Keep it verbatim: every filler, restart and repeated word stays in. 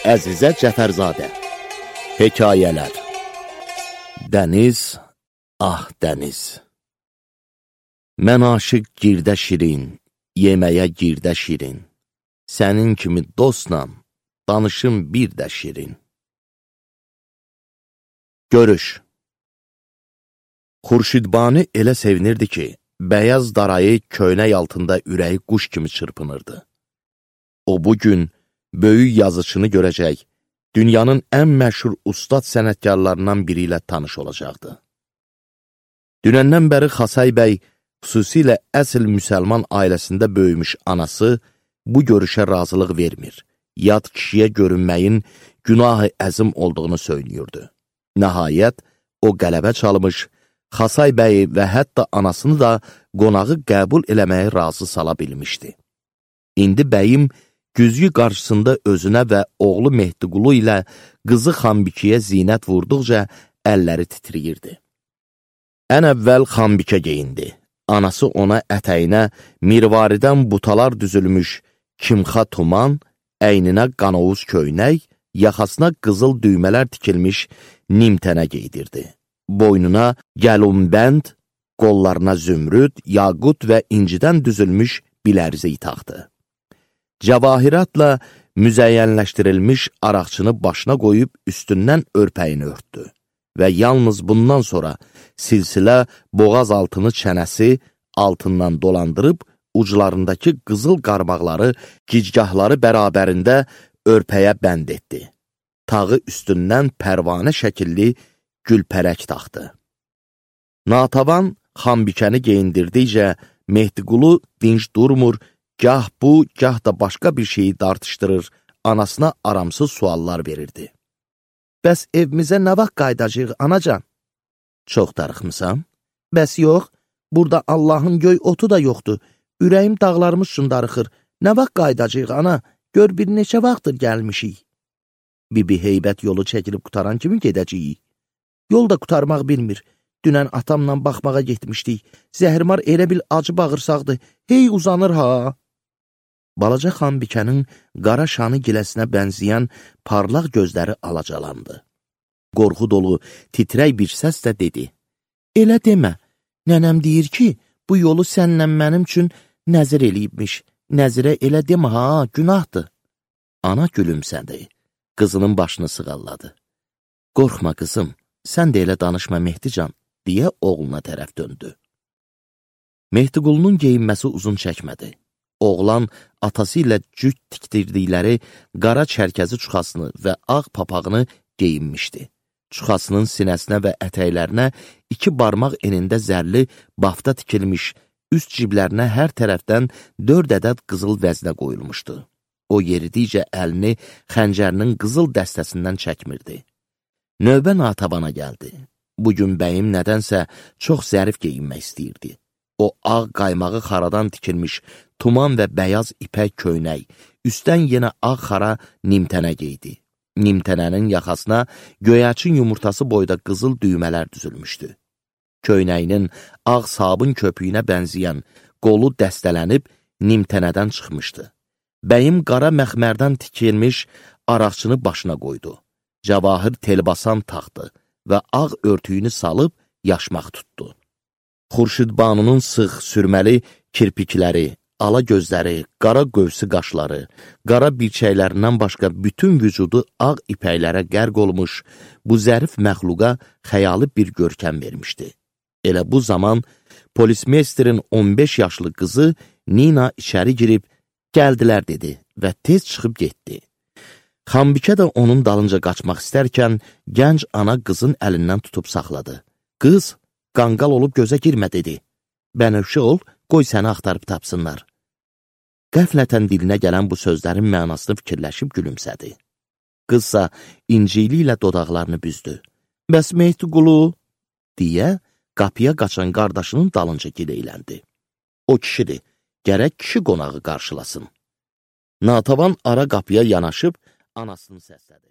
Əzizə Cəfərzadə. Hekayələr. Dəniz, ah dəniz. Mən aşıq girdə şirin, yeməyə girdə şirin. Sənin kimi dostla, danışım bir də şirin. Görüş. Xurşidbani elə sevinirdi ki, bəyaz darayı köynək altında ürəyi quş kimi çırpınırdı. O bugün böyük yazıçını görəcək, dünyanın ən məşhur ustad sənətkarlarından biri ilə tanış olacaqdı. Dünəndən bəri Xasay bəy, xüsusilə əsl müsəlman ailəsində böyümüş anası, bu görüşə razılıq vermir, yad kişiyə görünməyin günah-ı əzim olduğunu söylüyordu. Nəhayət, o qələbə çalmış, Xasay bəyi və hətta anasını da qonağı qəbul eləməyə razı sala bilmişdi. İndi bəyim güzgü qarşısında özünə və oğlu Mehdiqulu ilə qızı Xanbikiyə zinət vurduqca əlləri titriyirdi. Ən əvvəl Xanbikə geyindi. Anası ona ətəyinə mirvaridən butalar düzülmüş kimxa tuman, əyninə qanovuz köynək, yaxasına qızıl düymələr tikilmiş nimtənə geydirdi. Boynuna gəlunbənd, qollarına zümrüd, yaqut və incidən düzülmüş bilərzi taxdı. Cəvahiratla müzəyyənləşdirilmiş araqçını başına qoyub üstündən örpəyini örtdü və yalnız bundan sonra silsilə boğaz altını çənəsi altından dolandırıb uclarındakı qızıl qarmaqları, gicgahları bərabərində örpəyə bənd etdi. Tağı üstündən pərvanə şəkilli gülpərək taxdı. Natavan Xanbikəni geyindirdikcə Mehdiqulu dinc durmur, gah bu, gah da başqa bir şeyi dartışdırır, anasına aramsız suallar verirdi. Bəs evimizə nə vaxt qaydacaq, anacan? Çox darıxmısan? Bəs yox, burada Allahın göy otu da yoxdur, ürəyim dağlarımız üçün darıxır, nə vaxt qaydacaq, ana? Gör bir neçə vaxtdır gəlmişik. Bibi heybət yolu çəkilib qutaran kimi gedəcəyik. Yol da qutarmaq bilmir. Dünən atamla baxmağa getmişdik. Zəhrimar elə bil acı bağırsaqdı. Hey uzanır ha. Balaca Xanbikənin qara şanı giləsinə bənzəyən parlaq gözləri alacalandı. Qorxu dolu, titrək bir səslə dedi. Elə demə, nənəm deyir ki, bu yolu sənlə mənim üçün nəzir eləyibmiş. Nəzirə elə demə ha, günahdır. Ana gülümsədi, qızının başını sığalladı. Qorxma qızım, sən də elə danışma Mehdican, deyə oğluna tərəf döndü. Mehdiqulunun geyinməsi uzun çəkmədi. Oğlan atası ilə cüt tikdirdikləri qara çərkəzi çuxasını və ağ papağını geyinmişdi. Çuxasının sinəsinə və ətəklərinə iki barmaq enində zərli bafta tikilmiş, üst ciblərinə hər tərəfdən dörd ədəd qızıl vəznə qoyulmuşdu. O yeridikcə əlini xəncərinin qızıl dəstəsindən çəkmirdi. Növbə Natavana gəldi. Bugün bəyim nədənsə çox zərif geyinmək istəyirdi. O ağ qaymağı xaradan tikilmiş tuman və bəyaz ipək köynək, üstdən yenə ağ xara nimtənə geydi. Nimtənənin yaxasına göyərçin yumurtası boyda qızıl düymələr düzülmüşdü. Köynəyinin ağ sabun köpüyünə bənzəyən qolu dəstələnib nimtənədən çıxmışdı. Bəyim qara məxmərdən tikilmiş araqçını başına qoydu. Cəvahir telbasan taxdı və ağ örtüyünü salıb yaşmaq tutdu. Xurşidbanının sıx, sürməli kirpikləri, ala gözləri, qara qövsü qaşları, qara birçəklərindən başqa bütün vücudu ağ ipəklərə qərq olmuş, bu zərif məxluqa xəyali bir görkəm vermişdi. Elə bu zaman polismeysterin on beş yaşlı qızı Nina içəri girib, gəldilər dedi və tez çıxıb getdi. Xanbikə də onun dalınca qaçmaq istərkən, gənc ana qızın əlindən tutub saxladı. Qız, qanqal olub gözə girmə dedi. Bənövşə ol, qoy səni axtarıb tapsınlar. Qəflətən dilinə gələn bu sözlərin mənasını fikirləşib gülümsədi. Qızsa incili ilə dodaqlarını büzdü. Bəs Mehdiqulu, deyə qapıya qaçan qardaşının dalınca gileyləndi. O kişidir, gərək kişi qonağı qarşılasın. Natavan ara qapıya yanaşıb anasını səslədi.